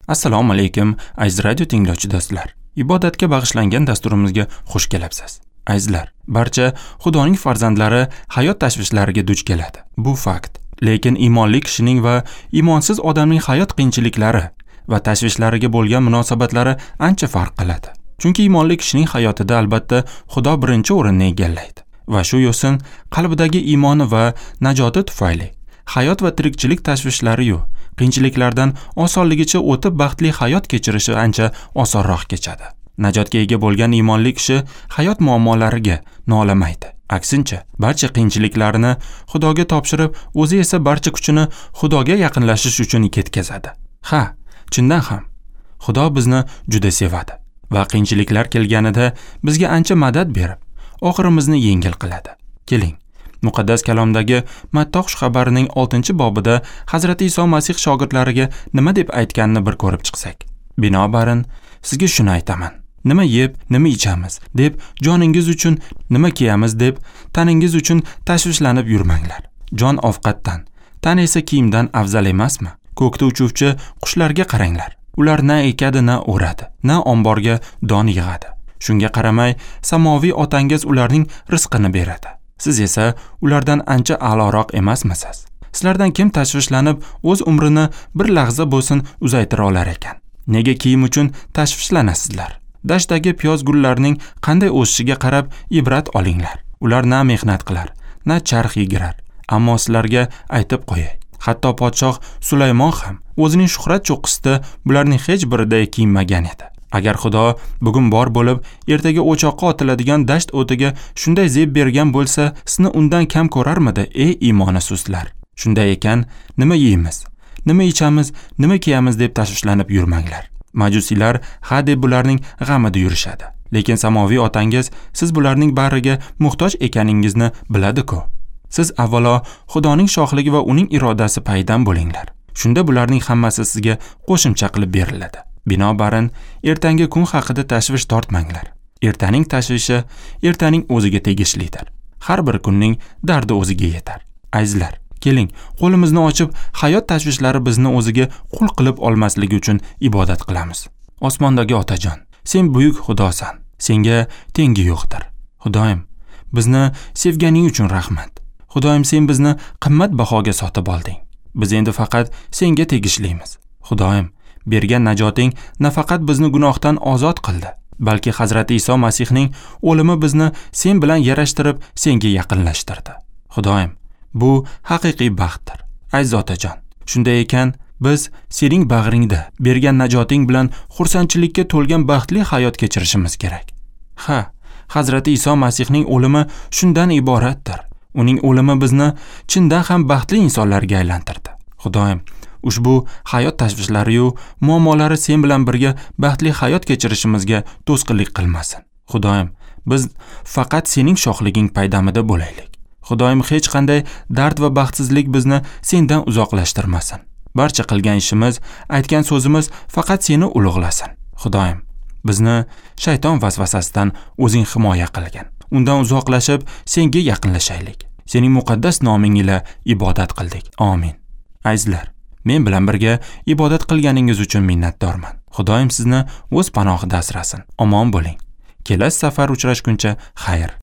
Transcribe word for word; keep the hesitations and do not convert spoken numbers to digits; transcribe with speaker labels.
Speaker 1: Assalomu alaykum, aziz radio tinglovchi do'stlar. Ibodatga bag'ishlangan dasturimizga xush kelibsiz. Azizlar, barcha Xudoning farzandlari hayot tashvishlariga duch keladi. Bu fakt. Lekin iymonli kishining va iymonsiz odamning hayot qiyinchiliklari va tashvishlariga bo'lgan munosabatlari ancha farq qiladi. Chunki iymonli kishining hayotida albatta Xudo birinchi o'rinni egallaydi va shu yo'sin qalbidagi iymoni va najoti tufayli hayot va tirikchilik tashvishlari-yu qiyinchiliklardan osonligicha o'tib baxtli hayot kechirishi ancha osonroq kechadi. Najotga ega bo'lgan iymonli kishi hayot muammolariga nolamaydi. Aksincha, barcha qiyinchiliklarni Xudoga topshirib, o'zi esa barcha kuchini Xudoga yaqinlashish uchun ketkazadi. Ha, chindan ham Xudo bizni juda sevadi va qiyinchiliklar kelganida bizga ancha madad berib, oxirimizni yengil qiladi. Keling, Muqaddas kalomdagi Matta xushxabarining oltinchi bobida Hazrati Iso Masih shogirdlariga nima deb aytganini bir ko'rib chiqsak. Binobarin, sizga shuni aytaman. Nima yeb, nima ichamiz deb joningiz uchun, nima kiyamiz deb taningiz uchun tashvishlanib yurmanglar. Jon ovqatdan, tan esa kiyimdan afzal emasmi? Ko'kda uchuvchi qushlarga qaranglar. Ular na ekadi, na o'radi, na omborga don yig'adi. Shunga qaramay, samoviy otangiz ularning rizqini beradi. Siz esa ulardan ancha a'loroq emasmisiz? Sizlardan kim tashvishlanib o'z umrini bir lahza bo'lsin uzaytira olar ekan? Nega kiyim uchun tashvishlanasizlar? Dashtdagi piyoz gullarining qanday o'sishiga qarab ibrat olinglar. Ular na mehnat qilar, na charx yegirar. Ammo sizlarga aytib qo'yay, hatto podshoh Sulaymon ham o'zining shuhrat cho'qqisida bularning hech birida kiyinmagan edi. Agar Xudo bugun bor bo'lib, ertaga o'choqqa otiladigan dasht o'tiga shunday zeb bergan bo'lsa, sizni undan kam ko'rarmidi, ey iymoni sustlar? Shunday ekan, nima yeymiz, nima ichamiz, nima kiyamiz deb tashvishlanib yurmanglar. Majusiylar ha deb bularning g'amida yurishadi. Lekin samoviy otangiz siz bularning bariga muhtoj ekaningizni biladi-ku. Siz avvalo Xudoning shohligi va uning irodasi payidan bo'linglar. Shunda bularning hammasi sizga qo'shimcha qilib beriladi. Binobarin, ertangi kun haqida tashvish tortmanglar. Ertaning tashvishi ertaning o'ziga tegishlidir. Har bir kunning dardi o'ziga yetar. Azizlar, keling, qo'limizni ochib, hayot tashvishlari bizni o'ziga qul qilib olmasligi uchun ibodat qilamiz. Osmondagi Otajon, sen buyuk Xudosan. Senga tengi yo'qdir. Xudoyim, bizni sevganing uchun rahmat. Xudoyim, sen bizni qimmat bahoga sotib olding. Biz endi faqat senga tegishlimiz. Xudoyim, bergan najoting nafaqat bizni gunohdan ozod qildi, balki Hazrati Iso Masihning o'limi bizni sen bilan yarashtirib, senga yaqinlashtirdi. Xudoyim, bu haqiqiy baxtdir. Aziz otajon, shunday ekan, biz sening bag'ringda bergan najoting bilan xursandchilikka to'lgan baxtli hayot kechirishimiz kerak. Ha, Hazrati Iso Masihning o'limi shundan iboratdir. Uning o'limi bizni chindan ham baxtli insonlarga aylantirdi. Xudoyim, ushbu hayot tashvishlari-yu muammolari sen bilan birga baxtli hayot kechirishimizga to'sqinlik qilmasin. Xudoyim, biz faqat sening shohliging paydamida bo'laylik. Xudoyim, hech qanday dard va baxtsizlik bizni sendan uzoqlashtirmasin. Barcha qilgan ishimiz, aytgan so'zimiz faqat seni ulug'lasin. Xudoyim, bizni shayton vasvasasidan o'zing himoya qilgin. Undan uzoqlashib, senga yaqinlashaylik. Sening muqaddas noming ila ibodat qildik. Amin. Azizlar, men bilan birga ibodat qilganingiz uchun minnatdorman. Xudoyim sizni o'z panohida asrasin. Omon bo'ling. Kelasi safar uchrashguncha xayr.